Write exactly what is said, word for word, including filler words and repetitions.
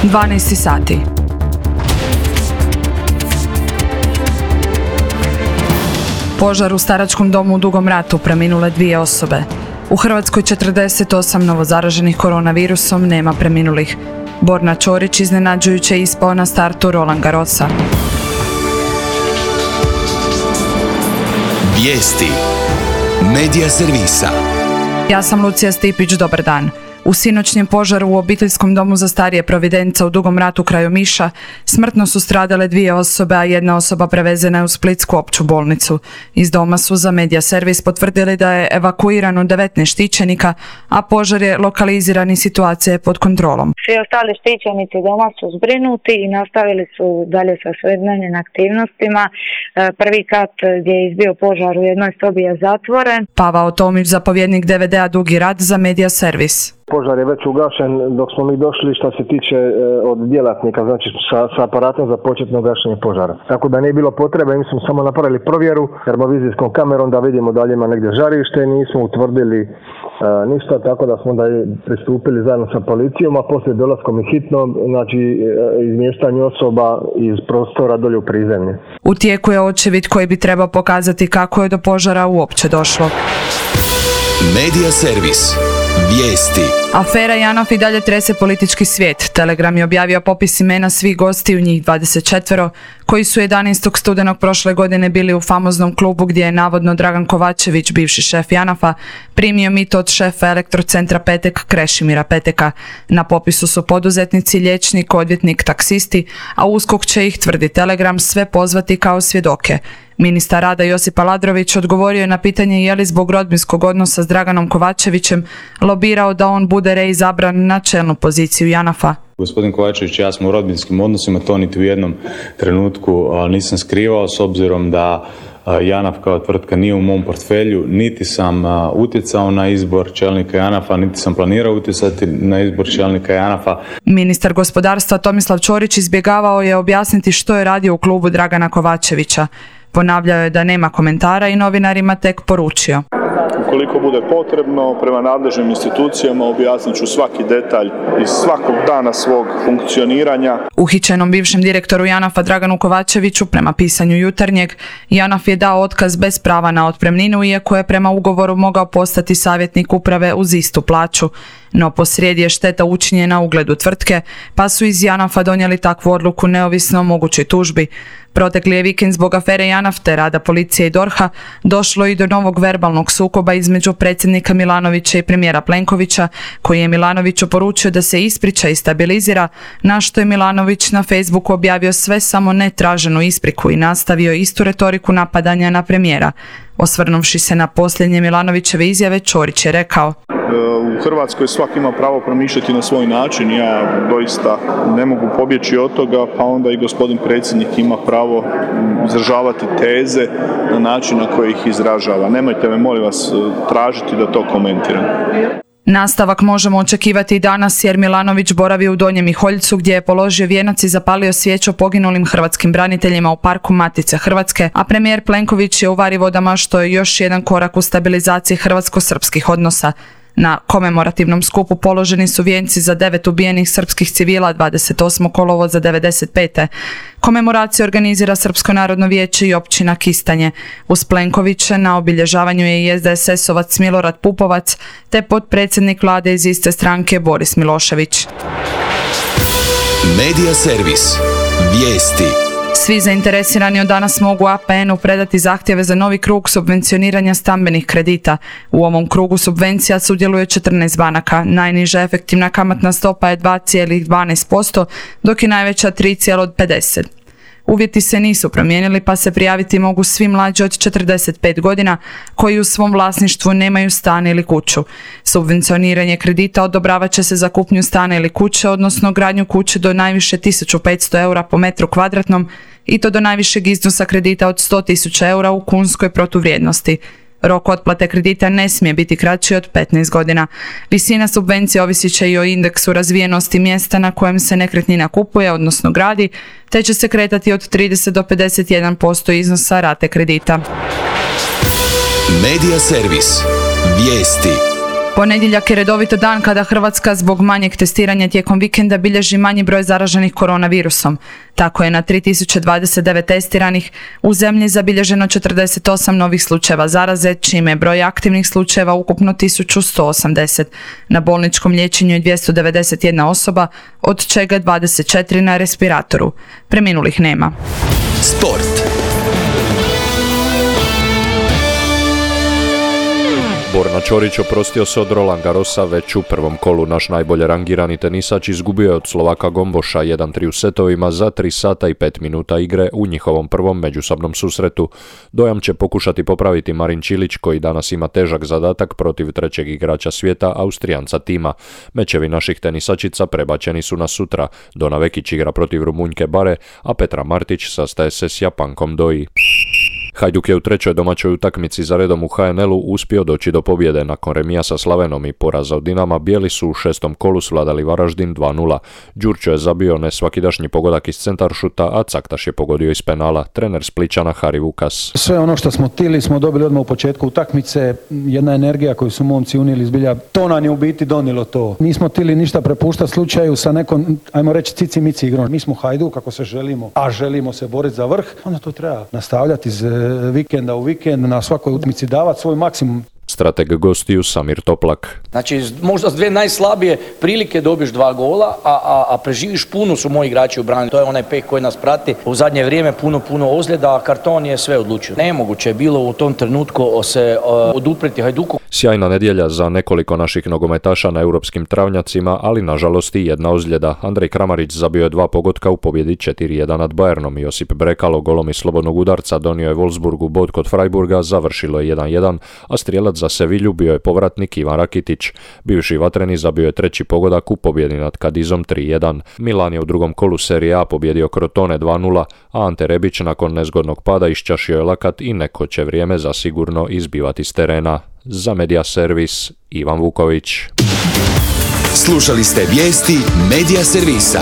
dvanaest sati. Požar u staračkom domu u Dugom Ratu, preminule dvije osobe. U Hrvatskoj četrdeset osam novozaraženih koronavirusom, nema preminulih. Borna Ćorić iznenađujuće ispao na startu Roland Garrosa. Vijesti Medija servisa. Ja sam Lucija Stipić, dobar dan. U sinoćnjem požaru u obiteljskom domu za starije Providenca u Dugom Ratu kraj Omiša smrtno su stradale dvije osobe, a jedna osoba prevezena je u Splitsku opću bolnicu. Iz doma su za Medija servis potvrdili da je evakuirano devetnaest štićenika, a požar je lokaliziran i situacija je pod kontrolom. Svi ostali štićenici doma su zbrinuti i nastavili su dalje sa svojim aktivnostima. Prvi kat gdje je izbio požar u jednoj sobi je zatvoren. Pavao Tomić, zapovjednik D V D-a Dugi Rat za Medija servis. Požar je već ugašen dok smo mi došli što se tiče e, od djelatnika, znači sa, sa aparatom za početno gašenje požara. Tako da nije bilo potrebe, mi smo samo napravili provjeru termovizijskom kamerom da vidimo da li ima negdje žarište, nismo utvrdili e, ništa, tako da smo onda pristupili zajedno sa policijom, a poslije dolaskom i hitno, znači e, izmještanju osoba iz prostora dolje u prizemlje. U tijeku je očevid koji bi trebao pokazati kako je do požara uopće došlo. Medija servis. Vijesti. Afera JANAF i dalje trese politički svijet. Telegram je objavio popis imena svih gostiju, njih dvadeset četvero, koji su jedanaestog studenog prošle godine bili u famoznom klubu gdje je navodno Dragan Kovačević, bivši šef JANAF-a, primio mito od šefa Elektrocentra Petek Krešimira Peteka. Na popisu su poduzetnici, liječnik, odvjetnik, taksisti, a USKOK će ih, tvrdi Telegram, sve pozvati kao svjedoke. Ministar rada Josip Aladrović odgovorio je na pitanje je li zbog rodbinskog odnosa s Draganom Kovačevićem lobirao da on bude reizabran na čelnu poziciju JANAF-a. Gospodin Kovačević i ja smo u rodbinskim odnosima, to niti u jednom trenutku nisam skrivao, s obzirom da JANAF kao tvrtka nije u mom portfelju, niti sam utjecao na izbor čelnika JANAF-a, niti sam planirao utjecati na izbor čelnika JANAF-a. Ministar gospodarstva Tomislav Ćorić izbjegavao je objasniti što je radio u klubu Dragana Kovačevića. Ponavljao je da nema komentara i novinarima tek poručio. Ukoliko bude potrebno, prema nadležnim institucijama objasnit ću svaki detalj iz svakog dana svog funkcioniranja. Uhićenom bivšem direktoru JANAF-a Draganu Kovačeviću, prema pisanju Jutarnjeg, JANAF je dao otkaz bez prava na otpremninu, iako je prema ugovoru mogao postati savjetnik uprave uz istu plaću. No posrijedi je šteta učinjena ugledu tvrtke, pa su iz JANAF-a donijeli takvu odluku neovisno o mogućoj tužbi. Protekli je vikend zbog afere JANAF te rada policije i DORH-a došlo i do novog verbalnog sukoba između predsjednika Milanovića i premijera Plenkovića, koji je Milanoviću poručio da se ispriča i stabilizira, na što je Milanović na Facebooku objavio sve samo ne traženu ispriku i nastavio istu retoriku napadanja na premijera. Osvrnuvši se na posljednje Milanovićeve izjave, Ćorić je rekao: U Hrvatskoj svaki ima pravo promišljati na svoj način, ja doista ne mogu pobjeći od toga, pa onda i gospodin predsjednik ima pravo izražavati teze na način na koji ih izražava. Nemojte me, molim vas, tražiti da to komentiram. Nastavak možemo očekivati i danas jer Milanović boravi u Donjem Miholjcu gdje je položio vijenac i zapalio svijeću poginulim hrvatskim braniteljima u parku Matice Hrvatske, a premijer Plenković je u Varivodama, što je još jedan korak u stabilizaciji hrvatsko-srpskih odnosa. Na komemorativnom skupu položeni su vijenci za devet ubijenih srpskih civila dvadeset osmog kolovoza devedeset pete Komemoraciju organizira Srpsko narodno vijeće i općina Kistanje. Uz Plenkovića na obilježavanju je i S D S S-ovac Milorad Pupovac te potpredsjednik vlade iz iste stranke Boris Milošević. Medija servis. Vijesti. Svi zainteresirani od danas mogu A P N-u predati zahtjeve za novi krug subvencioniranja stambenih kredita. U ovom krugu subvencija sudjeluje četrnaest banaka. Najniža efektivna kamatna stopa je dva zarez dvanaest posto, dok je najveća tri zarez pedeset posto. Uvjeti se nisu promijenili, pa se prijaviti mogu svi mlađi od četrdeset pet godina koji u svom vlasništvu nemaju stan ili kuću. Subvencioniranje kredita odobravat će se za kupnju stana ili kuće, odnosno gradnju kuće do najviše tisuću petsto eura po metru kvadratnom i to do najvišeg iznosa kredita od sto tisuća eura u kunskoj protuvrijednosti. Rok otplate kredita ne smije biti kraći od petnaest godina. Visina subvencije ovisit će i o indeksu razvijenosti mjesta na kojem se nekretnina kupuje, odnosno gradi, te će se kretati od trideset do pedeset jedan posto iznosa rate kredita. Medija servis. Vijesti. Ponedjeljak je redovito dan kada Hrvatska zbog manjeg testiranja tijekom vikenda bilježi manji broj zaraženih koronavirusom. Tako je na tri tisuće dvadeset devet testiranih u zemlji zabilježeno četrdeset osam novih slučajeva zaraze, čime je broj aktivnih slučajeva ukupno tisuću sto osamdeset. Na bolničkom liječenju je dvjesto devedeset jedna osoba, od čega dvadeset četiri na respiratoru. Preminulih nema. Sport. Borna Ćorić oprostio se od Roland Garrosa već u prvom kolu. Naš najbolje rangirani tenisač izgubio je od Slovaka Gomboša jedan tri u setovima za tri sata i pet minuta igre u njihovom prvom međusobnom susretu. Dojam će pokušati popraviti Marin Čilić, koji danas ima težak zadatak protiv trećeg igrača svijeta, Austrijanca Tima. Mečevi naših tenisačica prebačeni su na sutra. Dona Vekić igra protiv Rumunjke Bare, a Petra Martić sastaje se s Japankom Doi. Hajduk je u trećoj domaćoj utakmici za redom u ha en el-u uspio doći do pobjede. Nakon remija sa Slavenom i poraza od Dinama, bijeli su u šestom kolu svladali Varaždin dva nula. Đurčo je zabio nesvakidašnji pogodak iz centaršuta, a Caktaš je pogodio iz penala. Trener Splićana Hari Vukas. Sve ono što smo htjeli smo dobili odmah u početku utakmice. Jedna energija koju su momci unijeli zbilja, to nam je u biti donijelo to. Nismo htjeli ništa prepuštati slučaju sa nekom, ajmo reći, cici mici igrom. Mi smo Hajduk ako se želimo, a želimo se boriti za vrh, onda to treba nastavljati iz vikenda u vikend, na svakoj utakmici davati svoj maksimum. Strateg gostiju Samir Toplak. Znači, možda s dvije najslabije prilike dobiješ dva gola, a, a, a preživiš. Puno su moji igrači u brani. To je onaj peh koji nas prati. U zadnje vrijeme puno, puno ozljeda, a karton je sve odlučio. Nemoguće je bilo u tom trenutku se uh, odupreti Hajduku. Sjajna nedjelja za nekoliko naših nogometaša na europskim travnjacima, ali nažalost i jedna ozljeda. Andrej Kramarić zabio je dva pogotka u pobjedi četiri jedan nad Bayernom. Josip Brekalo golom iz slobodnog udarca donio je Wolfsburgu bod kod Freiburga, završilo je jedan jedan, a strijelac za Sevilju bio je povratnik Ivan Rakitić. Bivši vatreni zabio je treći pogodak u pobjedi nad Kadizom tri jedan. Milan je u drugom kolu Serije A pobjedio Crotone dva nula, a Ante Rebić nakon nezgodnog pada iščašio je lakat i neko će vrijeme zasigurno izbivati s terena. Za Media Servis, Ivan Vuković. Slušali ste vijesti Media Servisa.